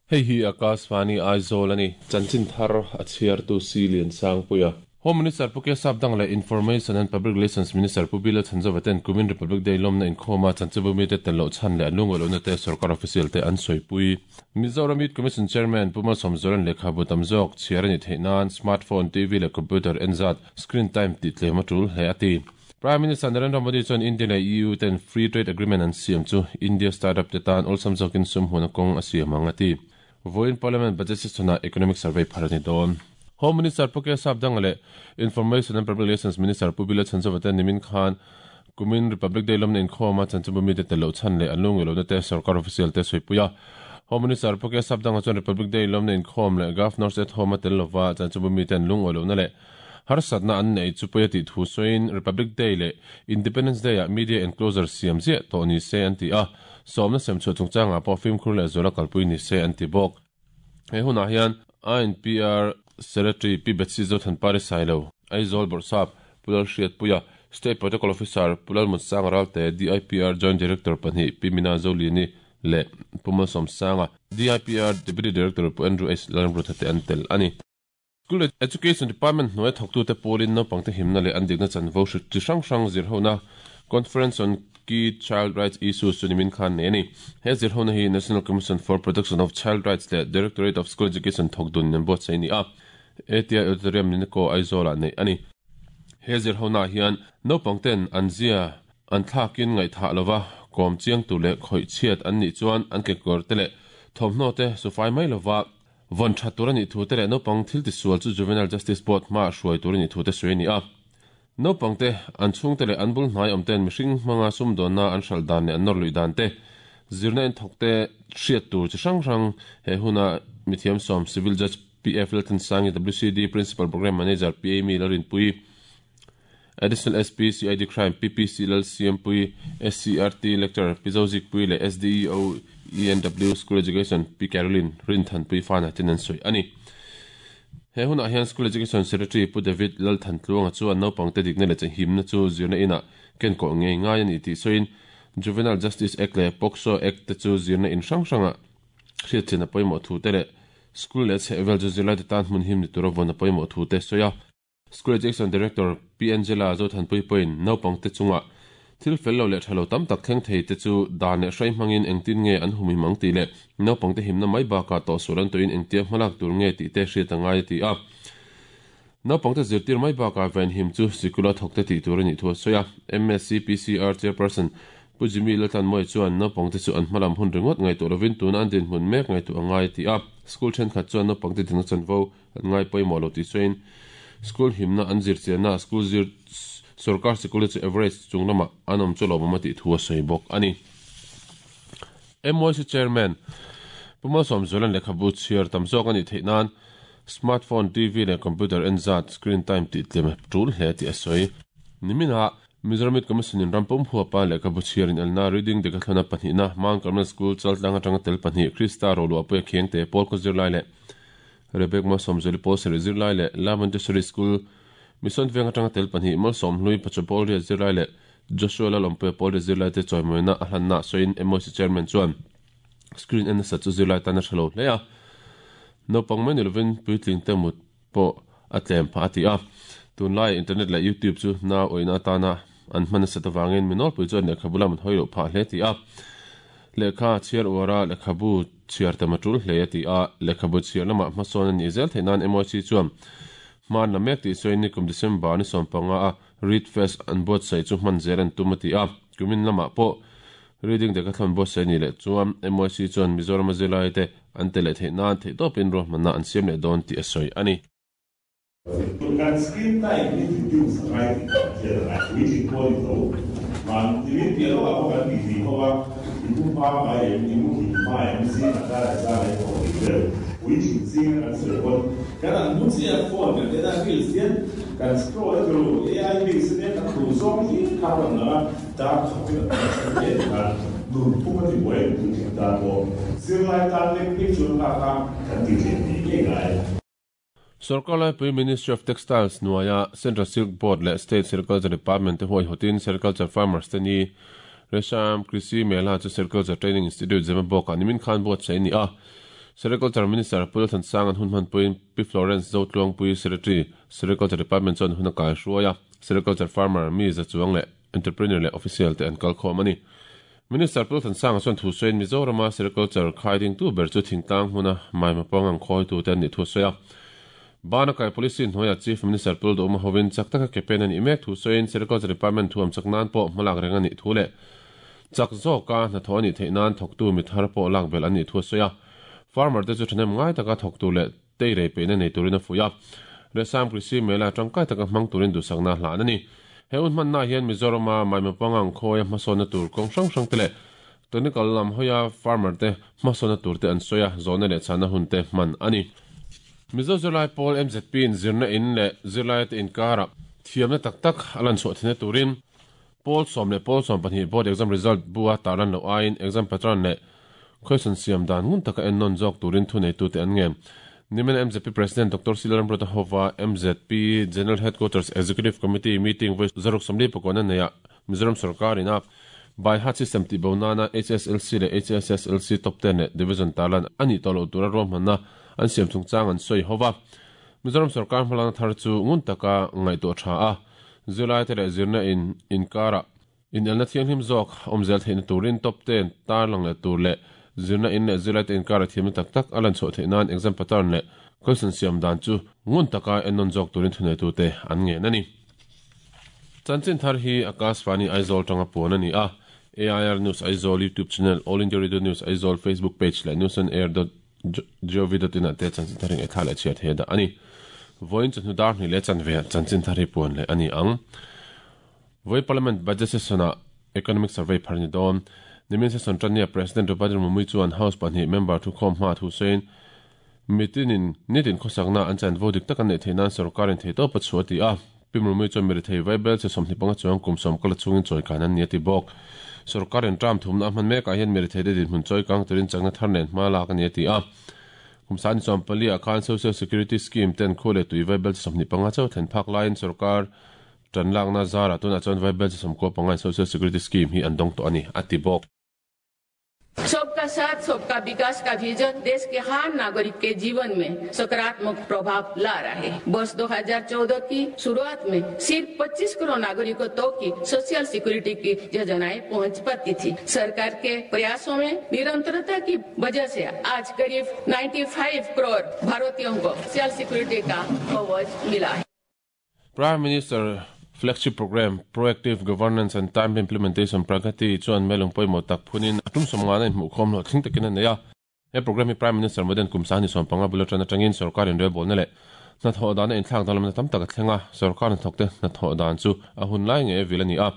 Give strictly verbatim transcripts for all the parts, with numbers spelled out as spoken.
Hei hi Akashvani Aizawl ani chanchin thar a chhiar tu si lian sang puia Home Minister Pu K Sapdanga leh Information and Public Relations Minister Pu B Lalchhanzova ten kumin Republic Day lawmna inkhawma chanchibu mite tel loh chhan leh an lungawi lohna te sorkar official te an sawipui. Mizoram Youth Commission Chairman Pu Malsawmzuala'n lehkhabu tam zawk chhiar a nih theih nan smartphone, T V leh computer en zat screen time tih tlem a tul hle a ti. Prime Minister Narendra Modi chuan India leh E U ten Free Trade Agreement an siam chu India startup te tan awlsam zawkin sum hmuhna kawng a siam ang a ti. Vawiin Parliament Budget Session-ah Economic Survey phar a ni dawn. Home Minister Pu K Sapdanga leh Information and Public Relations Minister Pu B Lalchhanzova ten nimin khan kumin Republic Day lawmna inkhawma chanchinbu mite tel loh chhan leh an lungawi lohna te sorkar official te sawipuia. Home Minister Pu K Sapdanga chuan Republic Day lawmna inkhawm leh Governor's at Home a tel lova chanchinbu mite an lungawi lohna leh harsatna an nei chu pawi a tih thu sawiin Republic Day leh Independence Day ah media enclosure siam ziah tawh ni se an ti a, sawmna sem chhuah chungchangah pawh fimkhur leh zuala kalpui ni se an ti bawk. He hunah hian I N P R Secretary Pi Betsy Zothanpari Sailo, Aizawl Bawrhsap Pu Lalhriatpuia, State Protocol Officer Pu Lalmutsanga Ralte, D I P R Joint Director pahnih Pi Mina Zoliani leh Pu Malsawmsanga, D I P R Deputy Director Pu Andrew H Lalramrutha te an tel a ni. School Education Department hnuai thawktute pawlin naupangte himna leh an dikna chanvo hri chi hrang hrang zirhona Conference on Key Child Rights Issues chu nimin khan nei a ni. He zirhona hi National Commission for Protection of Child Rights leh Directorate of School Education thawk dun an buatsaih a ni a. A T I Auditorium Ninaco Aizawlah neih a ni. He zirhona hian naupangten an zia an thlakin ngaihthah lova kawm chiang tur leh khawih chhiat an nih chuan an kekawr te leh thawmhnaw te sufai mai lova vawn tha tur a nih thu te leh naupang thil tisual chu Juvenile Justice Board hma hruai tur a nih thu te sawi a ni a. Naupangte an chhungte leh an bul hnai awm ten mihring hmanga sumdawnna an hral dan leh an nawr lui dan te zirna in thawk te hriat tur chi hrang hrang he huna mithiam sawm Civil Judge P F Lalthansangi, W C D Principal Program Manager P A Mi Lalrinpui, Additional S P C I D Crime P P C Lalsiampui, S C R T Lecturer Pi Zozikpui leh S D E O E N W School Education Pi Caroline Rinthanpui fana ten an sawi a ni. He hunah hian School Education Secretary Pu David Lalthantluanga chuan naupangte dikna leh himna chu zirna inah kenkawh ngei ngai a ni tih sawiin Juvenile Justice Act leh POCSO Act te chu zirna in hrang hranga hriatchian a pawimawh thu te leh school leh chhehvel chu zirlai te tan hmun him ni tura vawn a pawimawh thu te sawi a. School Education Director Pi Angela Zothanpui pawhin naupangte chunga thil fel lo leh tha lo tam tak thleng thei te chu dan leh hrai hmangin engtin nge an hum him ang tih leh naupangte himna mai bakah tawhsual an tawhin engtia hmalak tur nge tih te hriat a ngai a ti a. Naupangte zirtir mai bakah ven him chu sikula thawkte tih tur a nih thu a sawi a. M S C P C R Chairperson Pu Jimmy Laltlanmawia chuan naupangte chu an hmalam hun ringawt ngaihtuah lovin tuna an dinhmun mek ngaihtuah a ngai a ti a. School thenkhat chuan naupangte dikna chanvo an ngai pawimawh lo tih sawiin school himna an zirchianna school zir sarkar sikul chu average chung lamah an awm chu lawmawm a tih thu a sawi bawk a ni. M Y C Chairman Pu Malsawmzuala'n lehkhabu chhiar tam zawk a nih theih nan smartphone, T V leh computer en zat screen time tih tlem tul hle tih a sawi. Niminah Mizoram Youth Commission in rampum huapa lehkhabu chhiar in elna Reading Decathlon a pahnihna Mount Carmel School Chaltlang atanga tel pahnih Krista Roluah Puia Khiangte pawl khaw zirlai leh Rebek Malsawmzuali pawl sarih zirlai leh La Montessori School Mission Veng atanga tel pahnih Malsawmhlui Pachapawl riat zirlai leh Joshua Lalawmpuia pawl riat zirlai te chawimawina a hlanna sawiin M Y C Chairman chuan screen en nasa chu zirlai tan a tha lo hle a, naupang mai ni lovin puitling te mut pawh a tlem phah a ti a. Tunlai internet leh YouTube chu na awihna atana an hman nasa awangin mi nawlpui chuan lehkhabu lam an hawi loh phah hle ti a. Lehkha chhiar uara lehkhabu chhiar tam a tul hle a ti a. Lehkhabu chhiar lamah hmasawn a nih zel theih nan M Y C chuan hman la mek tih sawiin nikum December ni sawm panga a Read Fest an buatsaih chu hman zel an tum a ti a. Kumin lamah pawh Reading Decathlon buatsaih ni leh chuan M Y C chuan Mizoram a zirlai te an te leh theih nan theihtawpin ruahmanna an siam leh dawn tih a sawi a ni. Kan screen time hi reduce a ngai tih kan hriat a ngai, puitling pawh ni tho. Man nimin piah lawkah pawh kan tih tih khawp a, i mu hma ngai em, i mu him hma em, zing a kar a za leh tawh tih vel. Puitling zinga kan sawi pawn kan an mu chiah phone kan en a, reels hian kan scroll a turu A I reels ania kan duh zawng hi kha rawn lang a, dar khat in a tam a then em khan nun phung a ti buai em puitling tan pawh. Zirlai tan lek phei chuan kha kha kan ti tlem ngei ngei ngai. Sarkar Laipui Ministry of Textiles hnuaia Central Silk Board leh State Sericulture Department te huaihawtin Sericulture Farmers te ni Resham Krishi Mela chu Sericulture Training Institute Zemabawkah nimin khan buatsaih a ni a. Sericulture Minister Pu Lalthansang an hun hman puiin Pi Florence Zotluangpui Secretary Sericulture Department chuan hun a kai hruai a Sericulture Farmer mi za chuang leh Entrepreneur leh Official te an kal khawm a ni. Minister Pu Lalthansanga chuan thu sawiin Mizorama Sericulture khaiding tu ber chu thingtlang hmuna maima pawng ang khawi tu te an nih thu sawi a. Bana kai policy hnuaia Chief Minister Pu Lalduhawma hovin chak taka ke pen a nih mek thu sawiin Sericulture Department thuam chak nan pawh hmalak reng a nih thu leh chak zawka hnathawh a nih theih nan thawktu mi thar pawh lak belh an nih thu a sawi a. Farmer te chu thahnem ngai taka thawktu leh teirei peihna nei turin a fuih a. Resam Krisi Mela tangkai taka hmang turin duhsakna hlan a ni. He hun hmanna hian Mizorama maima pangang khawi a hmasawnna tur kawng hrang hrang te leh technical lam hawia farmer te hmasawnna tur te an sawi a, zawhna leh chhana hun te hman a ni. Mizo zirlai pawl M Z P in zirna in leh zirlai te inkarah thiamna tak tak a lan chhuah theihna turin pawl sawm leh pawl sawm pahnih board exam result bua tarlan loh aiin exam pattern leh question siam dan ngun taka en nawn zawk turin thu neitute an ngen. Nimin M Z P President Doctor Silaram Brotahova M Z P General Headquarters Executive Committee meeting voice zaruk samli pakawna neia Mizoram sarkar ina by heart system ti bonana H S L C leh H S S L C top ten leh division tarlan ani tawh loh tura ruahmanna an siam chungchang an sawi hova. Mizoram sarkar hmalakna thar chu ngun taka ngaihtuah tha a zirlai te leh zirna in inkara in elna thianghlim zawk awmzel theihna turin top ten tarlang leh tur leh zirna in leh zirlai te inkara thiamna tak tak a lan chhuah theih nan exam pattern leh question siam dan chu ngun taka en nawn zawk turin thuneitu te an ngen a ni. Chanchin thar hi Akashvani Aizawl tanga puan a ni a. A I R News Aizawl YouTube channel, All India Radio News Aizawl Facebook page leh news on air dot gov dot in ah te chanchin thar hi ngaihthla leh chhiat he dah a ni. Vawiin chu hnu dar hnih leh chanve ah chanchin thar hi puan leh a ni ang. Vawi Parliament budget session ah economic survey phar ni dawn. Nimin session tania President Draupadi Murmu chuan House pahnih member thu khawm hma thu sawiin mitinin nitin khawsakna an chan vo dik tak an neih theih nan sarkarin thei tawp a chhuah ti a. Pi Murmu chuan mi rethei vaibel che sawmhnih panga chuang kum sawm kala chungin chawi kan an ni a ti bawk. Sarkarin tram thumna a hman mekah hian mi rethei te dinhmun chawi kang turin chakna thar nen hma lak a ni a ti a. Kum sani chuan pali ah khan Social Security Scheme ten khu leh tui vaibel che sawmhnih panga chauh thlen phak laiin sarkar tan lakna zarah tunah chuan vaibel che sawmkua panga in Social Security Scheme hi an dawng tawh a ni a ti bawk. सबका साथ सबका विकास का विजन देश के हर नागरिक के जीवन में सकारात्मक प्रभाव ला रहा है। वर्ष दो हज़ार चौदह की शुरुआत में सिर्फ पच्चीस करोड़ नागरिकों तक की सोशल सिक्योरिटी की योजनाएं पहुंच पाती थी। सरकार के प्रयासों में निरंतरता की वजह से आज करीब पचानवे करोड़ भारतीयों को सोशल सिक्योरिटी का कवच मिला है। Prime Minister Flagship Program Proactive Governance and Timely Implementation Pragati chuan melung pawimawh tak phunin a tum sawmnga na inhmuh khawm hlawh thleng takin a nei a. He program hi Prime Minister Modi kum sahni sawm panga bula tan atangin sarkar in rebawlna leh hnathawh dan a inthlak danglamna tam tak a thleng a. Sarkar hnathawk te hnathawh dan chu a hun lai nge vil a ni a.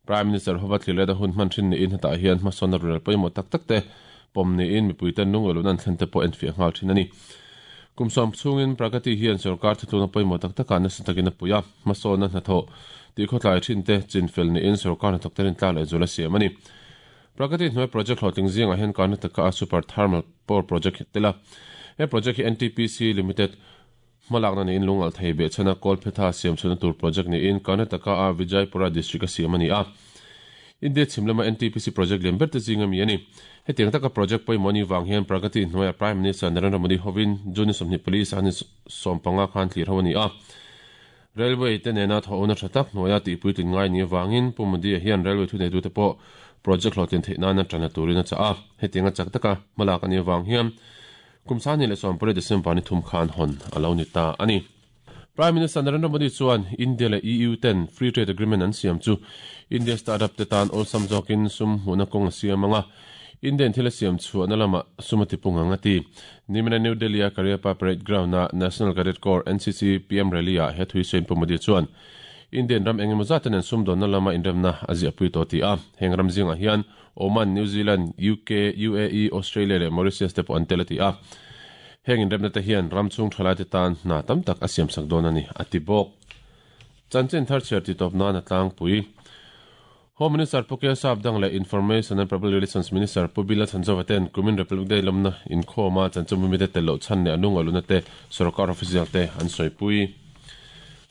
Prime Minister hova thlir a hun hman thin niin hetah hian hmasawnna rel pawimawh tak tak te pawm niin mipui ten lungawlun an thlen te pawh en fiah nghal thin a ni. Kum sawm chungin Pragati hian sarkar thutluna pawimawh tak takah nasa takin a pui a. Hmasawnna hnathawh ti khawtlai thin te chinfel niin sarkar hnathawk te rin tla leh zul a siam a ni. Pragati hnuai project hlawhtling zingah hian Karnataka a Super Thermal Power Project tela. He project hi N T P C Limited hmalakna niin lungal thei beh chana Kolphetha siam chhuna tur project niin Karnataka a Vijayapura district a siam a ni a. India chhimlama N T P C project lian ber te zinga mi a ni. Hetiang taka project pawimawh ni wang hian Pragati hnuaia Prime Minister Narendra Modi hovin June sawmhnih pali sahni sawm panga khan thlir ho a ni a. Railway te nena thawhna tha tak hnuaia tihpuitlin ngai ni wangin Pu Modi hian railway thu neitu te pawh project hlawhtlin theih nan a tana turin a chah a. Hetiang a chak taka hmalak a ni wang hian kum sahni leh sawm pali December ni thum khan hawn a lo ni ta a ni. Prime Minister Narendra Modi chuan India leh E U ten Free Trade Agreement an siam chu India startup te tan awlsam zawkin sum hmuhna kawng a siam anga Indian thil a siam chhuahna lama sumati pungang a ti. Nimina New Delhi a Kariappa Parade Ground a National Cadet Corps N C C P M Rally a he thui sawiin Pu Modi chuan Indian ram engemaw zaten an sum dawnna lama inremna a ziah pui tawh ti a. Heng ram zingah hian Oman, New Zealand, U K, U A E, Australia leh Mauritius te pawh an tel a ti a. Heng inremna te hian ram chung thalai te tan hna tam tak a siam sak dawn a ni a ti bawk. Chanchin thar chhiar ti tawp nan a tlangpui. Home Minister Pu K S Sapdang leh Information and Public Relations Minister Pu Bila Chhanzova ten kumin Republic Day lamna inkhawma chanchin mi te tel loh chhan leh a lungawluna te sarkar official te an sawipui.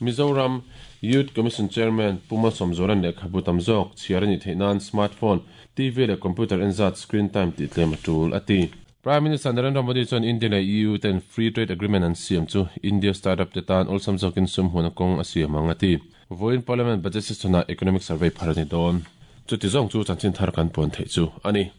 Mizoram Youth Commission Chairman Pu Malsawmzualan lehkhabu tam zawk chhiar a nih theih nan smartphone, T V leh computer enzat screen time tih tlem a tul a ti. Prime Minister Narendra Modi chuan India leh EU ten Free Trade Agreement an siam chu India startup te tan awlsam zawkin sum hmuhna kawng a siam ang a ti. Vawiin Parliament Budget Session-ah Economic Survey phar a ni dawn. Chuti zawng chu chanchin thar kan puan theih chu a ni.